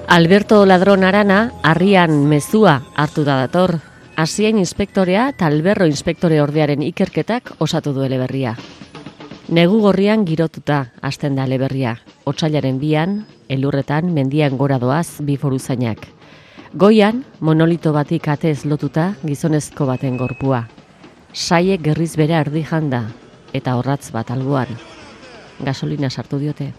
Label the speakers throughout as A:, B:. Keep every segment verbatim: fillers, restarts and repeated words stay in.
A: Alberto Ladron Arana harrian mezua hartu da dator. Hasien inspektorea eta Alberro inspektore ordearen ikerketak osatu du eleberria. Negu gorrian girotuta hasten da eleberria. Otsailaren bian, elurretan mendian gora doaz bi foruzainak. Goian, monolito batik atez lotuta gizonezko baten gorpua. Saiek gerriz bera erdi janda eta horratz bat alboan. Gasolina sartu diote.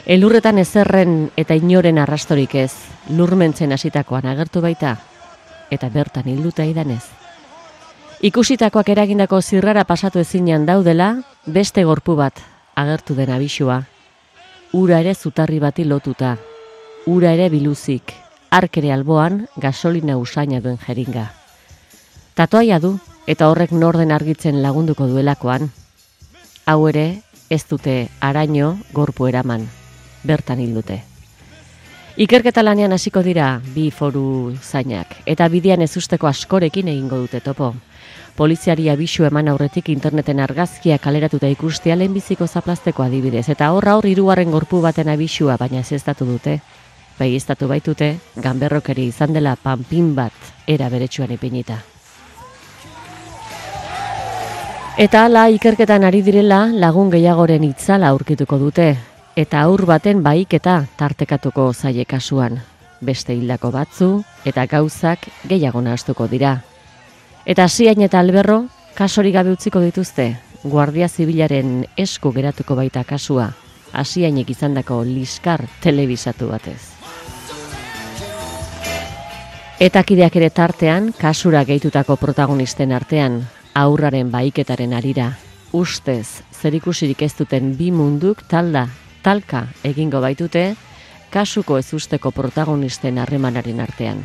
A: Elurretan ezerren eta inoren arrastorik ez, lurmentzen hasitakoan agertu baita, eta bertan hilduta idanez. Ikusitakoak eragindako zirrara pasatu ezinean daudela, beste gorpu bat agertu den abisua. Ura ere zutarri bati lotuta, ura ere biluzik, arkere alboan gasolina usaina duen jeringa. Tatuaia du, eta horrek norden argitzen lagunduko duelakoan. Hau ere, ez dute araño gorpu eraman. Bertan hildute. Ikerketa lanean hasiko dira bi foru zainak, eta bidean ezusteko askorekin egingo dute topo. Poliziari abisu eman aurretik interneten argazkia kaleratuta ikustea lehenbiziko zaplazteko adibidez, eta horra hor hirugarren gorpu baten abisua, baina zestatu dute. Baieztatu baitute, ganberrokeri izan dela panpin bat era beretsuan ipinita. Eta hala ikerketan ari direla lagun gehiagoren itzala aurkituko dute. Eta aur baten bahiketa tartekatuko zaie kasuan. Beste hildako batzu eta gauzak gehiago nahastuko dira. Eta Hasiain eta Alberro kasorik gabe utziko dituzte. Guardia Zibilaren esku geratuko baita kasua. Hasiainek izandako liskar telebisatu batez. Eta kideak ere tartean kasura gehitutako protagonisten artean aurraren bahiketaren harira. Ustez zerikusirik ez duten bi munduk talda talka egingo baitute kasuko ezusteko protagonisten harremanaren artean.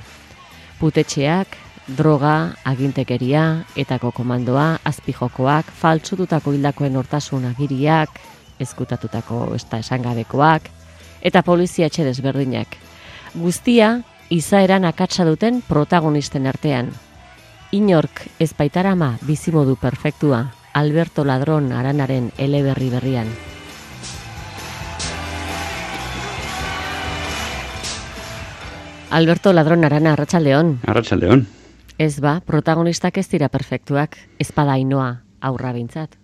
A: Putetxeak, droga, agintekeria, etako komandoa, azpijokoak, faltsututako hildakoen hortasun agiriak, ezkutatutako esta esangabekoak, eta polizia etxe desberdinak. Guztia, izaeran akatsa duten protagonisten artean. Inork ez baitarama bizimodu perfektua, Alberto Ladron Aranaren eleberri berrian. Alberto Ladron Arana, arratsaldeon.
B: Arratsaldeon.
A: Ez ba, protagonistak ez dira perfektuak, ez bada Ainoa aurra bintzat.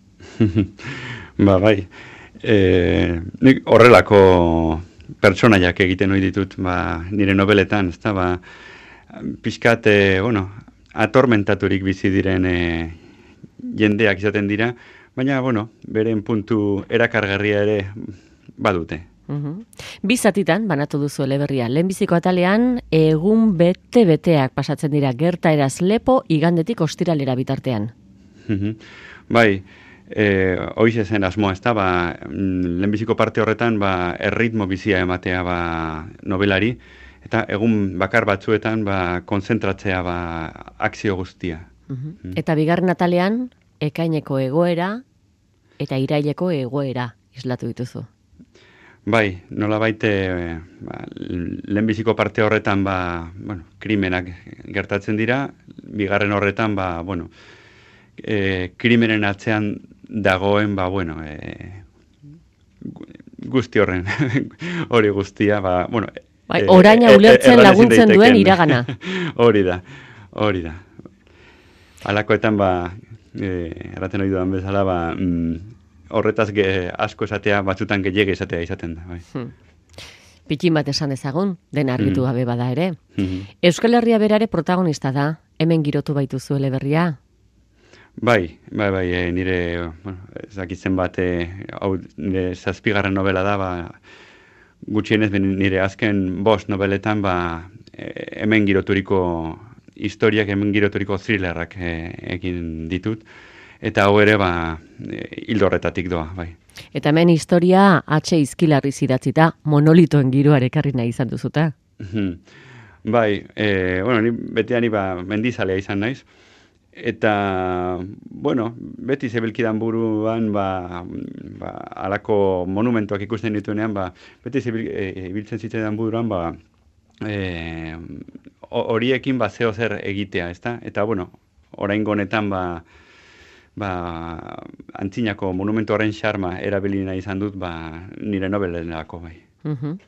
B: Ba, bai. E, nik horrelako pertsonaiak egiten ohi ditut, ba, nire nobeletan, ezta, ba, pixkat, e, bueno, atormentaturik bizi diren e, jendeak izaten dira, baina, bueno, beren puntu erakargarria ere badute.
A: Uhum. Bi zatitan banatu duzu eleberria. Lehenbiziko atalean egun bete-beteak pasatzen dira gertaeraz lepo igandetik ostiralera bitartean.
B: Uhum. Bai, e, hoize zen asmoa, ezta, ba, lehenbiziko parte horretan ba, erritmo bizia ematea ba, nobelari, eta egun bakar batzuetan ba, konzentratzea ba, akzio guztia.
A: Uhum. Mm. Eta bigarren atalean ekaineko egoera eta iraileko egoera islatu dituzu.
B: Bai, nola baite, ba, lehenbiziko parte horretan, ba, bueno, krimenak gertatzen dira, bigarren horretan, ba, bueno, e, krimenen atzean dagoen, ba, bueno, e, guzti horren, hori guztia, ba, bueno...
A: Bai, oraina e, ulertzen e, laguntzen duen iragana.
B: Hori da, hori da. Halakoetan, ba, e, erraten hori dudan bezala, ba... Mm, horretaz ge, asko esatea, batzutan gehiago esatea izaten da. Bai.
A: Hmm. Pikin bat esan dezagun, den argitu
B: Mm.
A: gabe bada ere.
B: Mm-hmm.
A: Euskal Herria berare protagonista da, hemen girotu baituzu eleberria?
B: Bai, bai, bai, e, nire, bueno, ezakitzen bat, e, hau, nire zazpigarren novela da, ba, gutxienez nire azken bost noveletan, ba, e, hemen giroturiko historiak, hemen giroturiko thrillerrak e, egin ditut. Eta hau ere, ba, hildo horretatik doa, bai.
A: Eta hemen historia atxe izkilarri zidatzita, monolitoen giroare ekarri nahi izan duzuta.
B: Bai, e, bueno, ni betean ba, mendizalea izan naiz. Eta, bueno, beti zebilkidan buruan, ba, ba, alako monumentuak ikusten dituenean, ba, beti zebil, e, ibiltzen zitzaidan buruan, ba, e, horiekin ba, zeo zer egitea, ezta? Eta, bueno, oraingo honetan, ba, ba, antzinako monumentu horren xarma erabilina izan dut ba, nire nobelenako bai.
A: Mhm.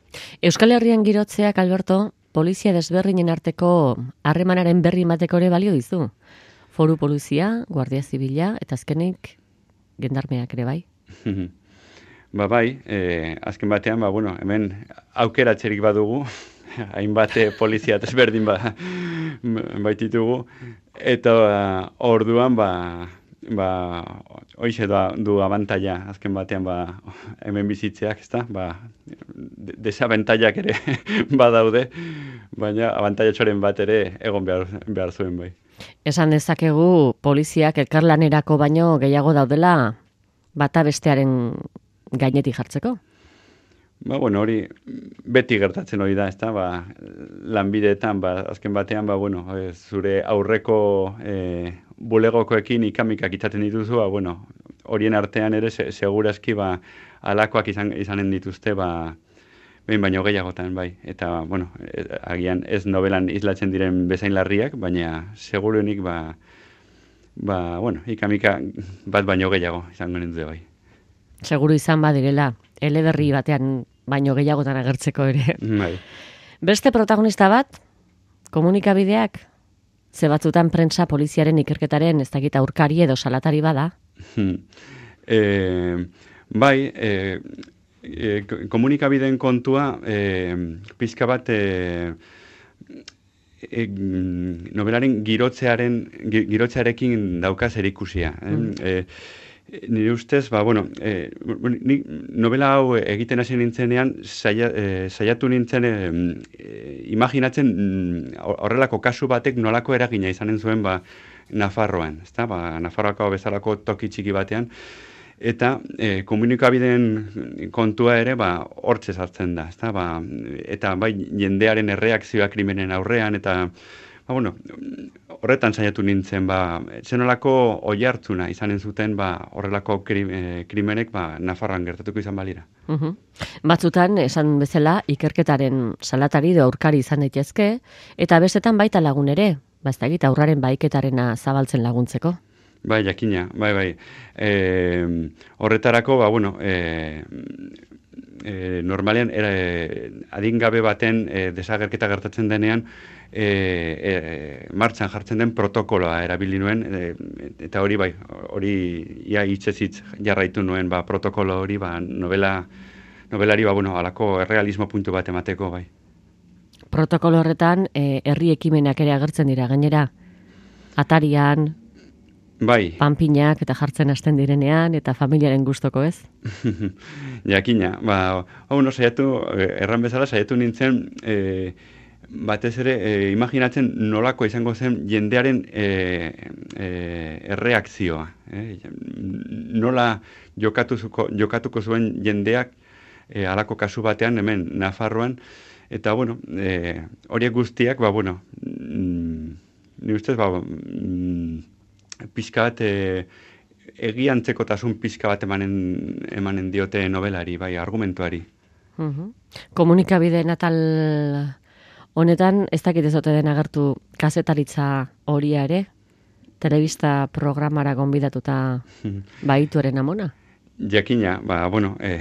A: Euskal Herrian girotzeak, Alberto, polizia desberdinen arteko harremanaren berri emateko ere balio dizu. Foru polizia, Guardia Zibila, eta azkenik gendarmeak ere bai.
B: Ba bai, eh, azken batean, ba, bueno, hemen aukeratzerik badugu, hainbat polizia desberdin ba, baititugu, eta uh, orduan, ba, ba, hoize da, du abantaila, azken batean, ba, hemen bizitzeak, ezta, ba, desabentaiak ere badaude, baina abantailatxoren bat ere egon behar, behar zuen bai.
A: Esan dezakegu poliziak elkarlanerako baino gehiago daudela bata bestearen gainetik jartzeko?
B: Ba, bueno, hori beti gertatzen hori da, ezta, ba, lanbideetan, ba, azken batean, ba, bueno, e, zure aurreko e, bulegokoekin ikamikak izaten dituzu, ba, bueno, horien artean ere se, segurazki, ba, alakoak izan, izanen dituzte, ba, behin baino gehiagotan, bai. Eta, bueno, agian ez novelan islatzen diren bezain larriak, baina seguruenik, ba, ba, bueno, ikamika bat baino gehiago izango dute, bai.
A: Seguru izan badirela, eleberri batean baino gehiagotan agertzeko ere.
B: Bai.
A: Beste protagonista bat, komunikabideak, ze batzutan prentsa poliziaren ikerketaren ez dakit aurkari edo salatari bada.
B: e, bai, e, e, komunikabideen kontua, e, pizka bat, e, e, nobelaren girotzearen, girotzearekin daukaz erikusia. Mm. E, Nire ustez, ba, bueno, e, ni novela hau egiten hasi nintzenean, saia, e, saiatu nintzen e, e, imaginatzen horrelako kasu batek nolako eragina izanen zuen ba, Nafarroan, ezta? Ba, Nafarroako bezalako toki txiki batean, eta e, komunikabideen kontua ere ba, hortze sartzen da, ezta? Ba, eta bai jendearen erreakzioa krimenen aurrean, eta ba, bueno, horretan saiatu nintzen, ba, zenolako oihartzuna izanen zuten, ba, horrelako krimenek, ba, Nafarroan gertatuko izan balira.
A: Uhum. Batzutan, esan bezala, ikerketaren salatari edo aurkari izan daitezke, eta bestetan baita lagun ere, ba, ez da egit, aurraren baiketarena zabaltzen laguntzeko.
B: Bai, jakina, bai, bai. E, horretarako, ba, bueno, e, e, normalean, era, e, adingabe baten e, desagerketa gertatzen denean, E, e, martxan jartzen den protokoloa erabili nuen, e, eta hori bai, hori ia hitzezitz jarraitu nuen, ba, protokolo hori, ba, novela, novelari, ba, bueno, alako errealismo puntu bat emateko, bai.
A: Protokolo horretan, e, herri ekimenak ere agertzen dira, gainera, atarian,
B: bai.
A: Panpinak eta jartzen hasten direnean, eta familiaren gustoko ez?
B: Jakina, ba, hau no, saiatu, erran bezala, saiatu nintzen, e, batez ere, e, imaginatzen nolako izango zen jendearen e, e, erreakzioa. E, nola jokatuko, jokatuko zuen jendeak e, alako kasu batean, hemen Nafarroan, eta, bueno, e, horiek guztiak, ba, bueno, mm, ni ustez, ba, mm, pixka bat, e, egiantzekotasun pixka bat emanen, emanen diote novelari, bai, argumentuari.
A: Uhum. Komunikabideen atal honetan, ez dakit ez ote den agertu kazetaritza horia ere, telebista programara gonbidatuta baituaren amona?
B: Jakina, ba, bueno, e,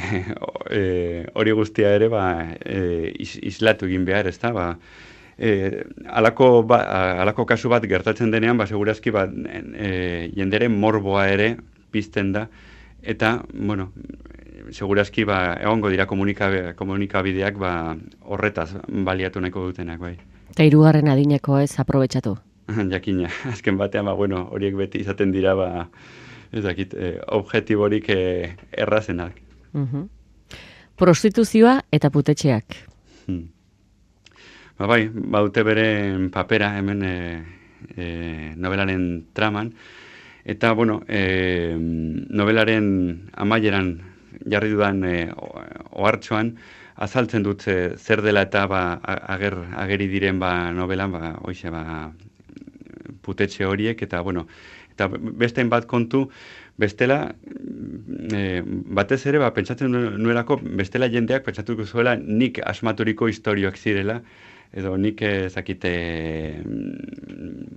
B: e, hori guztia ere, ba, e, is, islatu egin behar, ez da, ba, e, alako, ba, alako kasu bat gertatzen denean, ba, segurazki, ba, e, jenderen morboa ere pizten da, eta, bueno, segurazki, ba, egongo dira komunikabideak, komunikabideak ba, horretaz baliatu nahiko dutenak, bai.
A: Eta hirugarren adineko ez aprobetxatu?
B: Jakina, azken batean, ba, bueno, horiek beti izaten dira, ba, ez dakit, eh, objektiborik eh, errazenak.
A: Uhum. Prostituzioa eta putetxeak.
B: Hmm. Ba, bai, baute beren papera hemen eh, eh, novelaren traman, eta, bueno, eh, novelaren amaieran jarri dudan e, ohartxoan, azaltzen dut e, zer dela eta ba, ager, ageri diren ba, novelan, ba, oixe, ba, putetxe horiek, eta, bueno, eta bestein bat kontu, bestela, e, batez ere, ba, pentsatzen nuelako, bestela jendeak pentsatuko zuela nik asmaturiko historioak zirela, edo nik ezakite,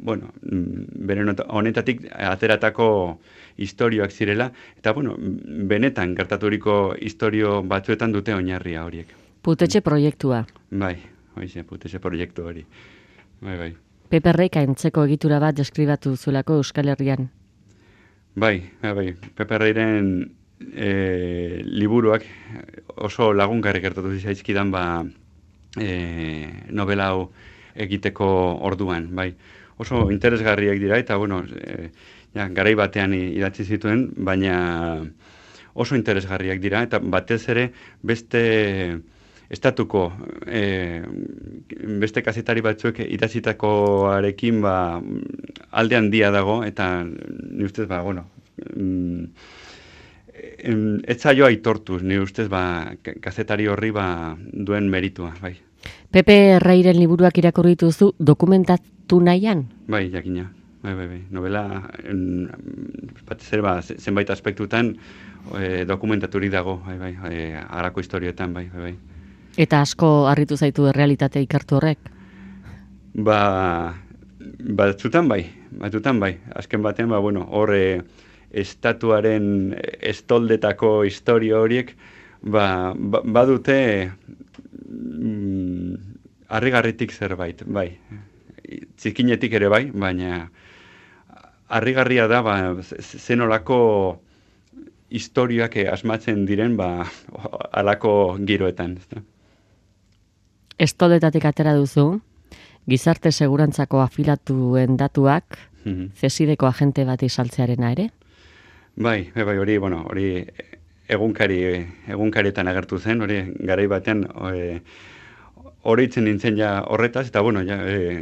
B: bueno, beren honetatik ateratako historioak zirela, eta, bueno, benetan gertaturiko historio batzuetan dute oinarria horiek.
A: Putetxe proiektua.
B: Bai, hoize, putetxe proiektu hori. Bai, bai.
A: Peperrek aintzeko egitura bat deskribatu zuelako Euskal Herrian.
B: Bai, bai, bai. Peperreiren e, liburuak oso lagungarri gertatu zaizkidan ba e, novela hau egiteko orduan, bai. Oso interesgarriak dira eta, bueno, e, ja, garai batean idatzi zituen, baina oso interesgarriak dira eta batez ere beste estatuko e, beste kazetari batzuek idatzitakoarekin ba, alde handia dago eta ni ustez ba, bueno, mm, ez zaio aitortuz, ni ustez ba, kazetari horri ba, duen meritua, bai.
A: Pepe Reiren liburuak irakurri dituzu dokumentatu nahian?
B: Bai, jakina. Bai, bai, bai. Novela, batez ere, ba, zenbait aspektutan e, dokumentaturik dago, bai, bai, e, harako historioetan, bai, bai, bai.
A: Eta asko harritu zaitu errealitate ikertu horrek?
B: Ba, batzutan bai, batzutan bai. Azken batean, ba, bueno, hor e, estatuaren estoldetako historio horiek, ba, ba, badute mm, harrigarritik zerbait, bai. Txikinetik ere bai, baina harrigarria da, ba, zenolako historioak asmatzen diren, ba, alako giroetan, ezta?
A: Estoldetatik atera duzu, gizarte segurantzako afilatuen datuak,
B: mm-hmm.
A: zesideko agente bat izaltzearena ere?
B: Bai, bai, hori, bueno, hori egunkari, egunkarietan agertu zen, hori garai batean e, hori itzen nintzen ja horretaz, eta bueno, ja, e,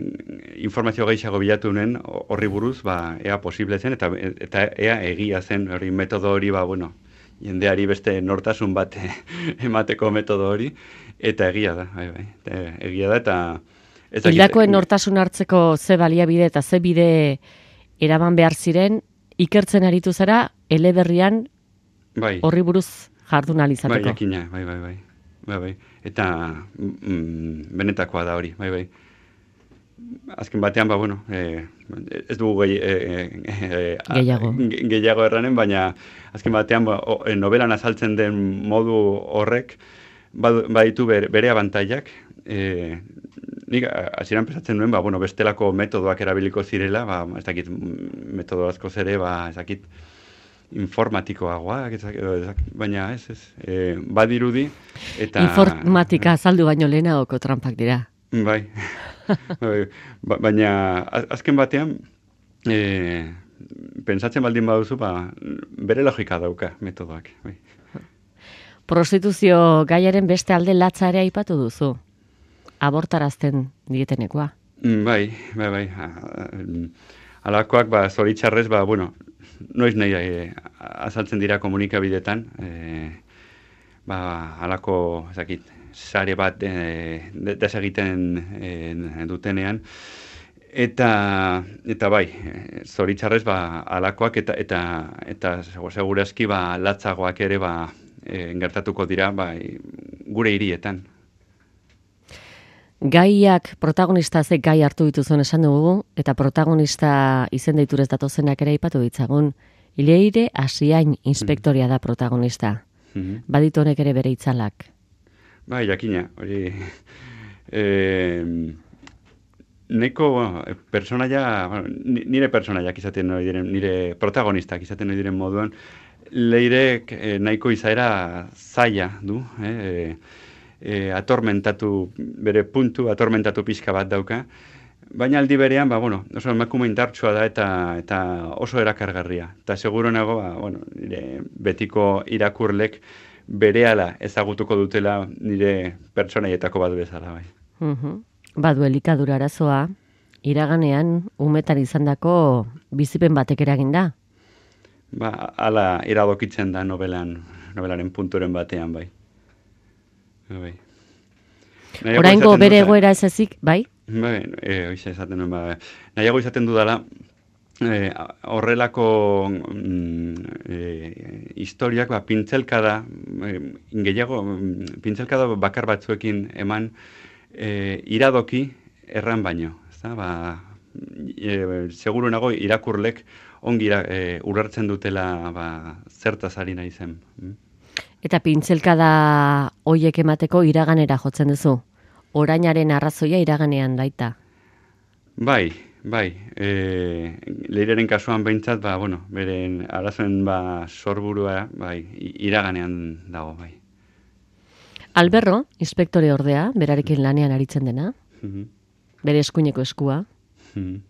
B: informazio gehiago bilatu nen horri buruz, ba, ea posible zen, eta, eta ea egia zen, hori metodo hori, ba, bueno, jendeari beste nortasun bat emateko metodo hori, eta egia da, bai, bai, eta egia da, eta...
A: Hildakoen nortasun hartzeko ze baliabide eta ze bide eraman behar ziren, ikertzen aritu zara, eleberrian
B: bai.
A: Horri buruz jardun alizateko.
B: Bai, jakina, bai, bai, bai, bai, bai. Eta mm, benetakoa da hori, bai, bai. Azken batean, ba, bueno, eh, ez dugu gehi, eh, eh,
A: gehiago.
B: gehiago erranen, baina azken batean ba, o, novelan azaltzen den modu horrek baditu bere, bere abantailak. Eh, nik hasieran pensatzen nuen, ba, bueno, bestelako metodoak erabiliko zirela, ba, ez dakit metodo asko zere, ba, ez dakit informatikoagoak, baina ez, ez, e, badirudi, eta...
A: Informatika azaldu baino lehenagoko trampak dira.
B: Bai, bai, ba, baina azken batean, e, pensatzen baldin baduzu, ba, bere logika dauka metodoak. Bai.
A: Prostituzio gaiaren beste alde latza ere aipatu duzu, abortarazten dietenekoa.
B: Bai, bai, bai, alakoak, ba, zoritxarrez, ba, bueno, noiz nahi e, azaltzen dira komunikabidetan, e, ba, alako, ezakit, sare bat e, desegiten e, dutenean, eta, eta bai, zoritxarrez, ba, alakoak eta, eta, eta segurazki, ba, latzagoak ere, ba, e, gertatuko dira, ba, gure hirietan.
A: Gaiak protagonista ze gai hartu dituzuen esan dugu, eta protagonista izen deiturez datozenak ere aipatu ditzagun. Ileire Asiain inspektoria da protagonista.
B: Mm-hmm.
A: Baditu honek ere bere itzalak.
B: Bai, jakina, hori... Eh, neko, bueno, personaia, bueno, nire personaiak izaten nahi diren, nire protagonistak izaten nahi diren moduan, Leirek eh, nahiko izaera zaila du, eh, E, atormentatu, bere puntu, atormentatu pixka bat dauka. Baina aldi berean, ba, bueno, oso emakume indartsua da eta eta oso erakargarria. Eta seguro nago, ba, bueno, nire betiko irakurlek berehala ezagutuko dutela nire pertsonaietako bat bezala, bai.
A: Uh-huh. Badu elikadura arazoa, iraganean umetan izandako bizipen batek eragin da?
B: Ba, hala iradokitzen da novelan, novelaren punturen batean, bai. Bai.
A: Oraingo bere egoera ez ezik, bai?
B: Bai, e, oize esaten nuen, ba, nahiago izaten dudala, e, horrelako mm, e, historiak, ba, pintzelkada, e, gehiago, pintzelkada bakar batzuekin eman e, iradoki erran baino. Ezta? Ba, e, seguru nago irakurlek ongi ira, e, urrartzen dutela ba, zertaz ari nahi zen. Mm?
A: Eta pintzelkada hoiek emateko iraganera jotzen duzu. Orainaren arrazoia iraganean daita.
B: Bai, bai. E, Leireren kasuan behintzat, ba, bueno, beren arazoen ba, sorburua, bai, iraganean dago, bai.
A: Alberro, inspektore ordea, berarekin lanean aritzen dena,
B: Mhm.
A: bere eskuineko eskua.
B: Mhm.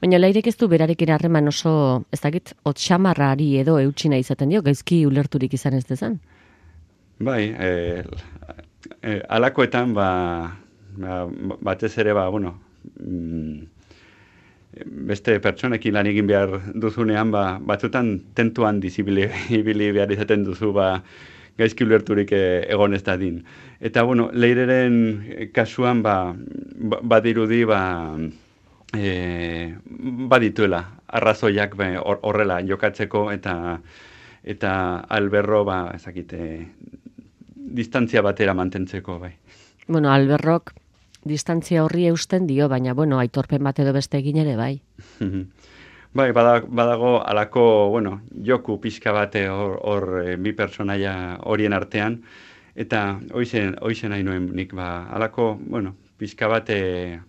A: Baina Leirek ez du berarekin harreman oso, ez dakit, otxamarrari edo eutxina izaten dio, gaizki ulerturik izan ez dezan.
B: Bai, e, e, alakoetan, ba, ba, batez ere, ba, bueno, mm, beste pertsonekin lan egin behar duzunean, ba, batzutan tentuan dizibili ibili behar izaten duzu, ba, gaizki ulerturik e, egon ez dadin. Eta, bueno, Leireren kasuan, ba, ba badirudi, ba, e, badituela, arrazoiak ba, horrela jokatzeko, eta eta Alberro, ba, ezakite, distantzia batera mantentzeko, bai.
A: Bueno, Alberrok distantzia horri eusten dio, baina, bueno, aitorpen bat edo beste egin ere, bai.
B: Bai, badago, badago alako, bueno, joku pixka bate hor, hor e, bi pertsonaia horien artean, eta hoizen, hoizen nahi nuen nik, ba, alako, bueno, pixka bate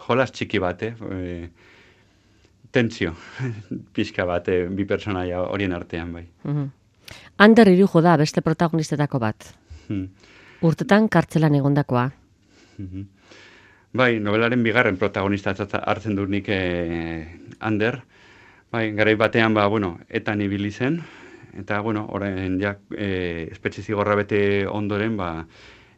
B: jolas txiki bate, e, tentsio pixka bate bi pertsonaia horien artean, bai.
A: Mhm. Ander Irujo da beste protagonistetako bat.
B: Hmm.
A: Urtetan kartzelan egondakoa.
B: Mhm. Bai, novelaren bigarren protagonista hartzen dut nik eh, Ander. Bai, garai batean, ba, bueno, etan ibili zen, eta, bueno, orain ja, eh, espetxe zigorra bete ondoren, ba,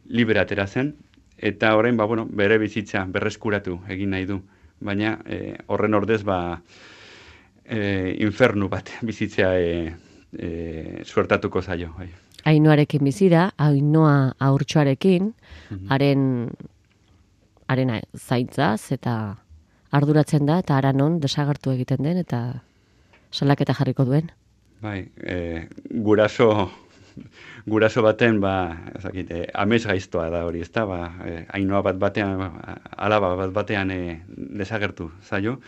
B: libre atera zen, eta orain, ba, bueno, bere bizitza berreskuratu egin nahi du. Baina, eh, horren ordez, ba, eh, infernu bat bizitzea eh, eh, suertatuko zaio, bai.
A: Ainoarekin bizi da, Ainoa haurtxoarekin, haren haren zaintzaz eta arduratzen da, eta haranon desagertu egiten den, eta salaketa jarriko duen.
B: Bai, e, guraso, guraso baten, ba, ezakite, amez gaiztoa da hori, ezta, ba, e, Ainoa bat batean, alaba bat batean e, desagertu zaio.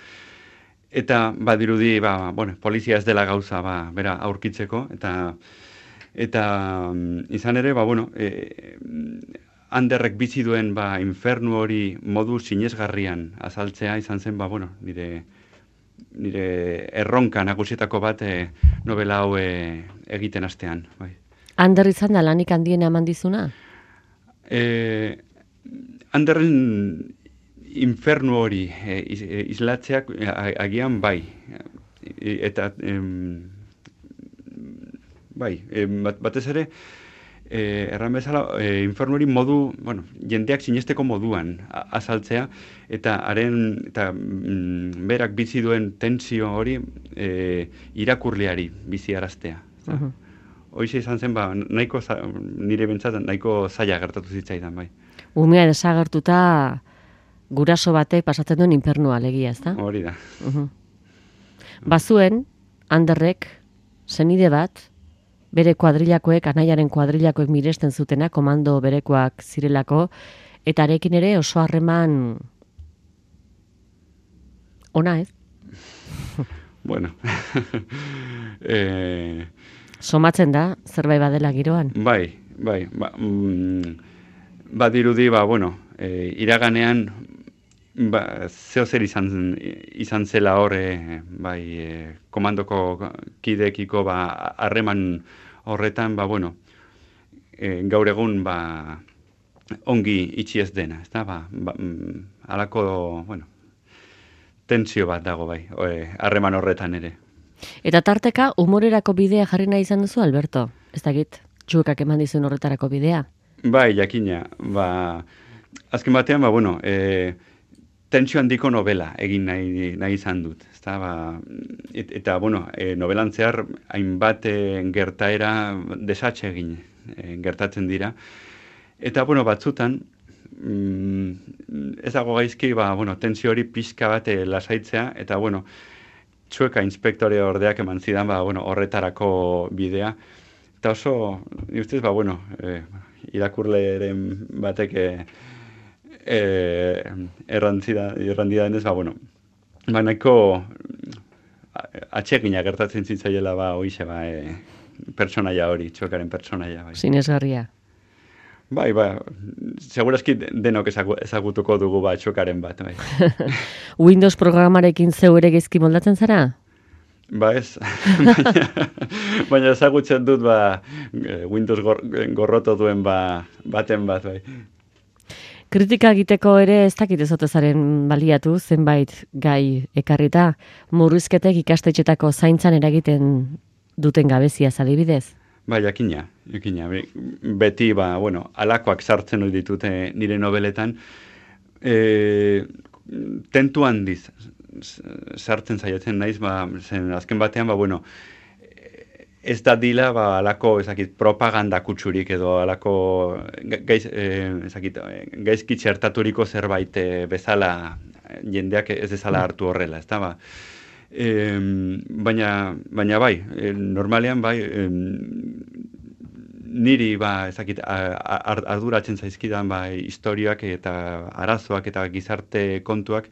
B: Eta badirudi, ba, bueno, polizia ez dela gauza, ba, bera aurkitzeko, eta eta um, izan ere, ba, bueno, e, Anderrek bizi duen, ba, infernu hori modu sinesgarrian azaltzea izan zen, ba, bueno, nire nire erronka nagusietako bat e, novela hau e, egiten hastean, bai.
A: Ander izan da lanik handiena eman dizuna?
B: E, Anderren infernu hori e, iz, e, islatzeak e, agian bai. E, eta em, bai, e, bat, batez ere e, erran bezala e, infernu hori modu, bueno, jendeak sinesteko moduan a, azaltzea, eta haren eta mm, berak bizi duen tentsio hori e, irakurleari biziaraztea. Uh-huh. Hoize izan zen, ba, nahiko za, nire bentsat nahiko zaila gertatu zitzaidan, bai.
A: Umea desagertuta guraso batek pasatzen duen infernua alegia, ezta?
B: Hori da.
A: Uh-huh. Bazuen, Anderrek, senide bat, bere kuadrilakoek, anaiaren kuadrilakoek miresten zutena, komando berekoak zirelako, eta arekin ere oso harreman ona, ez?
B: Bueno. eh...
A: Somatzen da, zerbait badela giroan?
B: Bai, bai. Ba, mm, badirudi, ba, bueno, e, iraganean, ba, zeo zer izan, izan zela horre, bai, e, komandoko kidekiko, ba, harreman horretan, ba, bueno, e, gaur egun, ba, ongi itxi ez dena, ez da, ba, ba mm, alako, bueno, tentsio bat dago, bai, harreman horretan ere.
A: Eta tarteka, humorerako bidea jarri nahi izan duzu, Alberto? Ez dakit, txuekak eman dizun horretarako bidea?
B: Bai, jakina, ba, azken batean, ba, bueno, e, tentsio handiko novela egin nahi, nahi izan dut, ezta, ba, et, eta, bueno, e, novelan zehar, hainbat e, gertaera desatxe egin e, gertatzen dira, eta, bueno, batzutan, mm, ez dago gaizki, ba, bueno, tentsio hori pixka bat e, lasaitzea, eta, bueno, txueka inspektore ordeak eman zidan, ba, bueno, horretarako bidea. Eta oso, ni ustez, ba, bueno, eh, irakurleren batek eh, errantzida, errandida denez, ba, bueno, ba, nahiko atsegina gertatzen zitzaiela, ba, oixe, ba, eh, pertsonaia hori, txokaren pertsonaia. Bai.
A: Sinesgarria.
B: Bai, ba, segurazki denok ezagutuko dugu ba, txokaren bat. Bai.
A: Windows programarekin zeu ere gezki moldatzen zara?
B: Ba ez, baina, baina ezagutzen dut ba, Windows gor, gorroto duen ba, baten bat. Bai.
A: Kritika egiteko ere ez dakit ezotezaren baliatu, zenbait gai ekarrita, murrizketek ikastetxetako zaintzan eragiten duten gabezia adibidez.
B: Ba, jakina, jakina. Beti, ba, bueno, alakoak sartzen hori ditute nire nobeletan, e, tentu handiz sartzen saiatzen naiz, ba, zen azken batean, ba, bueno, ez da dila, ba, alako, ezakit, propaganda kutsurik edo alako gaiz, eh, ezakit, gaizki txertaturiko zerbait eh, bezala jendeak ez ezala hartu horrela, ez da, ba. E, baina, baina bai, e, normalean bai, e, niri ba, ezakit, arduratzen zaizkidan ba, historiak eta arazoak eta gizarte kontuak,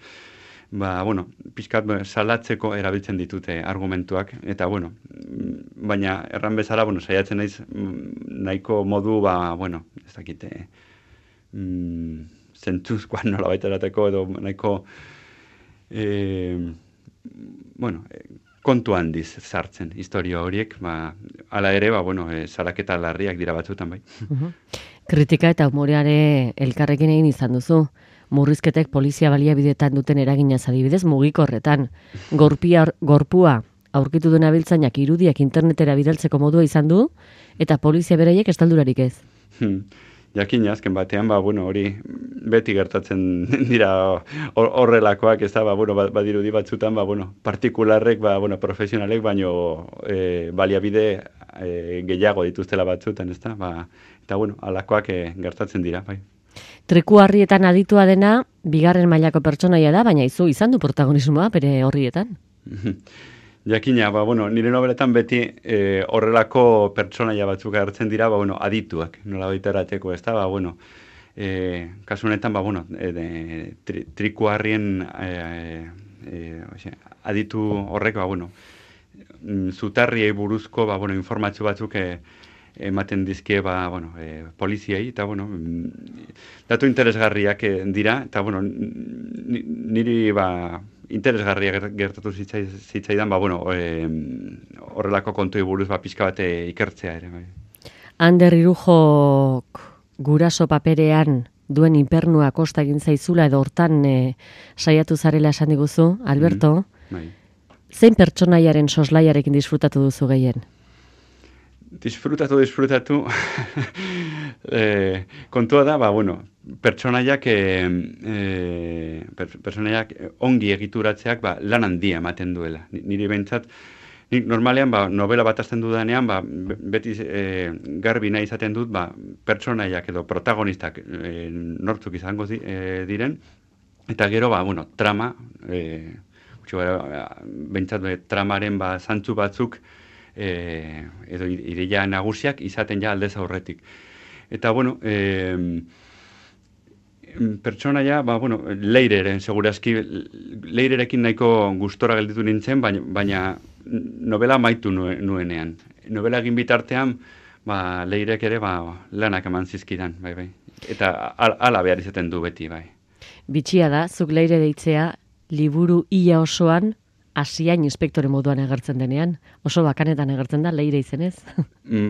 B: ba, bueno, pixkat salatzeko erabiltzen ditute argumentuak, eta, bueno, baina erran bezala, bueno, saiatzen naiz nahiko modu, ba, bueno, ez dakite, mm, zentzuzkoan nola baita erateko, edo nahiko, e, bueno, kontu handiz sartzen historia horiek, ba, ala ere, ba, bueno, e, salaketa larriak dira batzutan, bai.
A: Uh-huh. Kritika eta humoreare elkarrekin egin izan duzu. Murrizketek polizia baliabidetan duten eraginaz adibidez mugikorretan. Gorpia, gorpua aurkitu duen abiltzainak irudiak internetera bidaltzeko modua izan du, eta polizia beraiek estaldurarik ez.
B: Hmm. Jakin azken batean, ba, bueno, hori beti gertatzen dira horrelakoak, ez da, ba, bueno, badirudi batzutan, ba, bueno, partikularrek, ba, bueno, profesionalek, baino e, baliabide e, gehiago dituztela batzutan, ez da, ba, eta, bueno, alakoak e, gertatzen dira, bai.
A: Triku harrietan aditua dena, bigarren mailako pertsonaia da, baina izu izan du protagonismoa bere horrietan.
B: Jakina, ba, bueno, nire nobeletan beti e, horrelako pertsonaia batzuk hartzen dira, ba, bueno, adituak, nola baita erateko, ez da, ba, bueno, e, kasu honetan, ba, bueno, e, de, tri, triku harrien e, e, oxe, aditu horrek, ba, bueno, zutarriei buruzko, ba, bueno, informatzu batzuk e, ematen dizkie, ba, bueno, e, poliziei, eta, bueno, datu interesgarriak dira, eta, bueno, niri, ba, interesgarria gertatu zitzai, zitzaidan, ba, bueno, e, horrelako kontui buruz, ba, pixka bate ikertzea ere, bai.
A: Ander Irujok guraso paperean duen inpernua kosta egin zaizula, edo hortan e, saiatu zarela esan diguzu, Alberto,
B: mm, bai.
A: Zein pertsonaiaren soslaiarekin disfrutatu duzu gehien?
B: Disfrutatu, disfrutatu, e, kontua da, ba, bueno, pertsonaiak, e, e, per, pertsonaiak ongi egituratzeak ba, lan handia ematen duela. Niri behintzat, nik normalean, ba, novela bat azten dudanean, ba, beti e, garbi nahi izaten dut, ba, pertsonaiak edo protagonistak e, nortzuk izango di, e, diren, eta gero, ba, bueno, trama, e, behintzat, be, tramaren ba, zantzu batzuk, E, edo ideia nagusiak izaten ja aldez aurretik. Eta, bueno, e, pertsonaia, ba, bueno, Leireren, segurazki, Leirerekin nahiko gustora gelditu nintzen, baina, baina novela maitu nuenean. Novela egin bitartean, ba, Leirek ere, ba, lanak eman zizkidan, bai, bai. Eta ala behar izaten du beti, bai.
A: Bitxia da, zuk Leire deitzea, liburu ia osoan, hasiain inspektore moduan agertzen denean, oso bakanetan agertzen da, Leire izenez.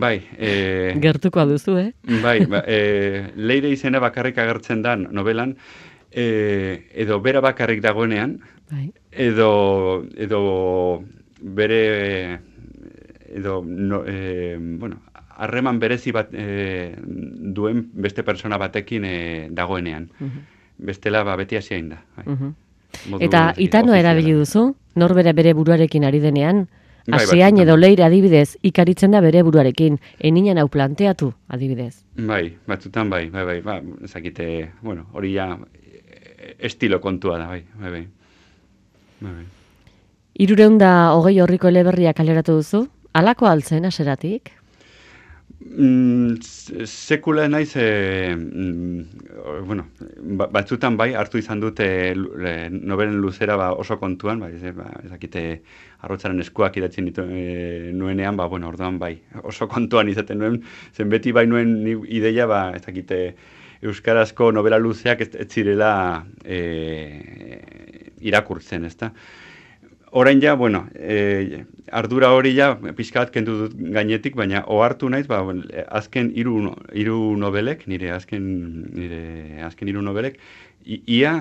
B: Bai. E,
A: Gertuko duzu, eh?
B: Bai, ba, e, Leire izena bakarrik agertzen da novelan, e, edo bera bakarrik dagoenean, bai. edo, edo bere, edo, no, e, bueno, harreman berezi bat e, duen beste persona batekin e, dagoenean. Uh-huh. Bestela, ba, beti hasiain da. Bai. Uh-huh.
A: Eta itanoa erabili duzu, norbera bere buruarekin ari denean, hasiain bai, edo Leire adibidez, ikaritzen da bere buruarekin, eninen hau planteatu adibidez.
B: Bai, batzutan bai, bai, bai, ba, ezakite, bueno, hori ja estilo kontua da, bai, bai, bai. bai, bai.
A: Hirureunda hogei horriko eleberria kaleratu duzu, halako altzen aseratik?
B: Mm, sekula naiz, e, mm, bueno, batzutan bai, hartu izan dute nobelen luzera ba, oso kontuan, ba, ez, ba, ezakite arrotzaren eskuak idatzen ditu, e, nuenean, ba, bueno, orduan bai, oso kontuan izaten nuen, zen beti bai nuen ideia, ba, ezakite euskarazko novela luzeak ez, ez zirela e, irakurtzen, ezta? Orain ja, bueno, e, ardura hori ja, pixka bat kendu dut gainetik, baina ohartu naiz, ba, azken hiru hiru nobelek, nire azken nire azken hiru nobelek, ia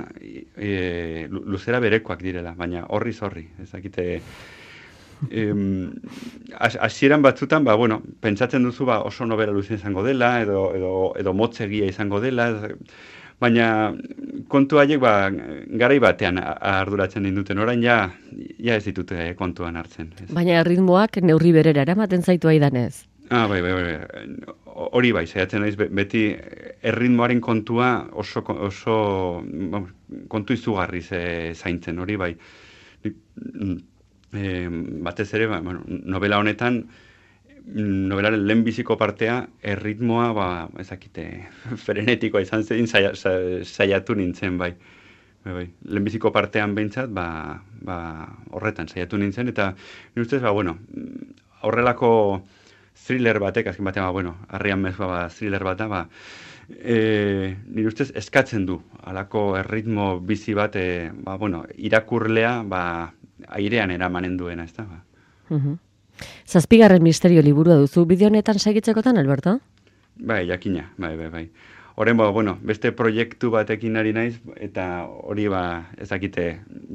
B: e, luzera berekoak direla, baina horri zorri, ezakite em, hasieran batzutan, ba, bueno, pentsatzen duzu ba, oso nobela luze izango dela, edo, edo, edo motzegia izango dela, baina kontu haiek ba, garai batean arduratzen dinduten, orain ja, ja ez ditute kontuan hartzen. Ez.
A: Baina ritmoak neurri berera eramaten zaitu aidanez.
B: Ah, bai, bai, bai. Hori bai, saiatzen naiz beti erritmoaren kontua oso, oso vamos, kontu izugarri zaintzen, hori bai. E, batez ere, ba, bueno, novela honetan, novelaren lehenbiziko partea, erritmoa, ba, ezakite, frenetikoa izan zen, saia, saiatu nintzen, bai. Bai, bai. Lehenbiziko partean behintzat, ba, ba, horretan saiatu nintzen, eta nire ustez, ba, bueno, horrelako thriller batek, azken batean, ba, bueno, harrian mezua, ba, thriller bat da, ba, e, nire ustez eskatzen du, halako erritmo bizi bat, e, ba, bueno, irakurlea, ba, airean eramanen duena, ez da, ba.
A: Uh-huh. Zazpigarren misterio liburua duzu bideo honetan segitzekotan, Alberto?
B: Bai, jakina, bai, bai, bai. Horren, ba, bueno, beste proiektu batekin ari naiz, eta hori, ba, ezakite,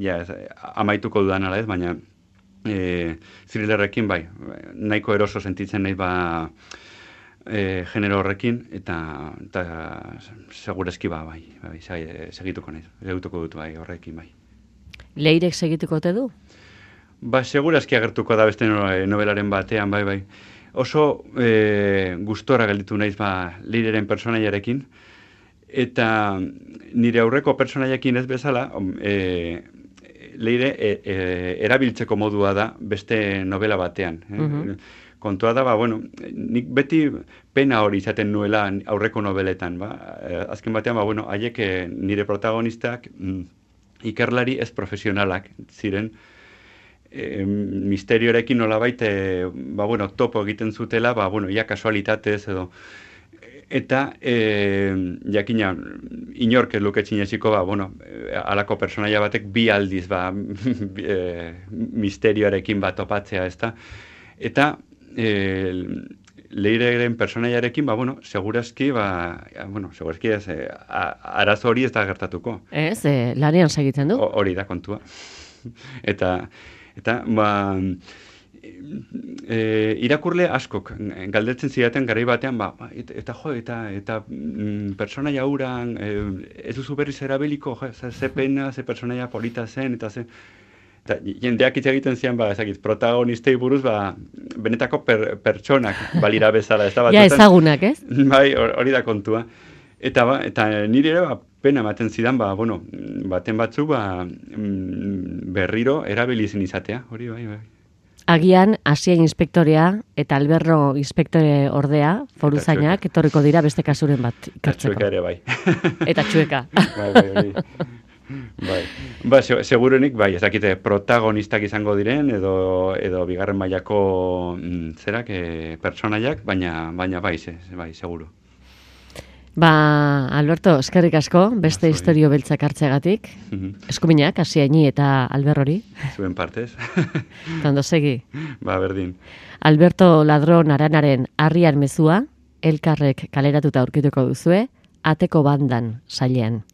B: ja, ez, amaituko dudan ala ez, baina e, thrillerrekin, bai, nahiko eroso sentitzen naiz, ba, e, genero horrekin, eta, eta segurezki, ba, bai, bai, segituko naiz, segituko dut, bai, horrekin, bai.
A: Leirek segituko te du?
B: Ba, segurazki agertuko da beste novelaren batean, bai, bai. Oso e, gustora gelditu naiz, ba, Leireren personaiarekin, eta nire aurreko personaiarekin ez bezala, e, Leire e, e, erabiltzeko modua da beste novela batean. Eh? Uh-huh. Kontua da, ba, bueno, nik beti pena hori izaten nuela aurreko noveletan, ba. Azken batean, ba, bueno, haiek nire protagonistak mm, ikerlari ez profesionalak ziren, E, misterioarekin nolabait e, ba, bueno, topo egiten zutela, ba, bueno, ia kasualitatez edo. Eta, e, jakina, inork ez luke txineziko, ba, bueno, alako personaia batek bi aldiz, ba, e, misterioarekin bat topatzea, ezta. Eta, e, Leireren personaiarekin, ba, bueno, segurazki, ba, bueno, segurazki ez, e, arazo hori ez da gertatuko.
A: Ez, e, lanean segitzen du.
B: Hori da kontua. Eta, Eta, ba, e, irakurle askok galdetzen zidaten garai batean, ba, eta, eta jo, eta, eta mm, personaia hauran, e, ez duzu berriz erabiliko, jo, ze pena, ze personaia polita zen, eta ze... Eta jendeak hitz egiten zian, ba, ezakit, protagonistei buruz, ba, benetako per, pertsonak balira bezala. Ez da,
A: ja ezagunak, ez?
B: Bai, hori da kontua. Eta, ba, eta nire ere, ba, pena ematen zidan, ba, bueno, baten batzu, ba, berriro erabilizin izatea, hori bai, bai.
A: Agian, Asia inspektorea eta Alberro inspektore ordea, foruzainak, etorriko dira beste kasuren bat ikertzeko.
B: Eta txueka ere, bai.
A: Eta txueka.
B: Bai, bai, hori. Bai. Ba, segurenik, bai, ezakite protagonistak izango diren, edo, edo bigarren mailako mm, zerak, e, pertsonaiak, baina, baina bai, ze, bai, seguru.
A: Ba, Alberto, eskerrik asko, beste historio beltzak hartzeagatik. Eskuminak, Asiaini eta Alberrori.
B: Zuen partez.
A: Tondo segi.
B: Ba, berdin.
A: Alberto Ladron Aranaren Harrian mezua, elkarrek kaleratuta aurkituko duzue, Ateko bandan sailean.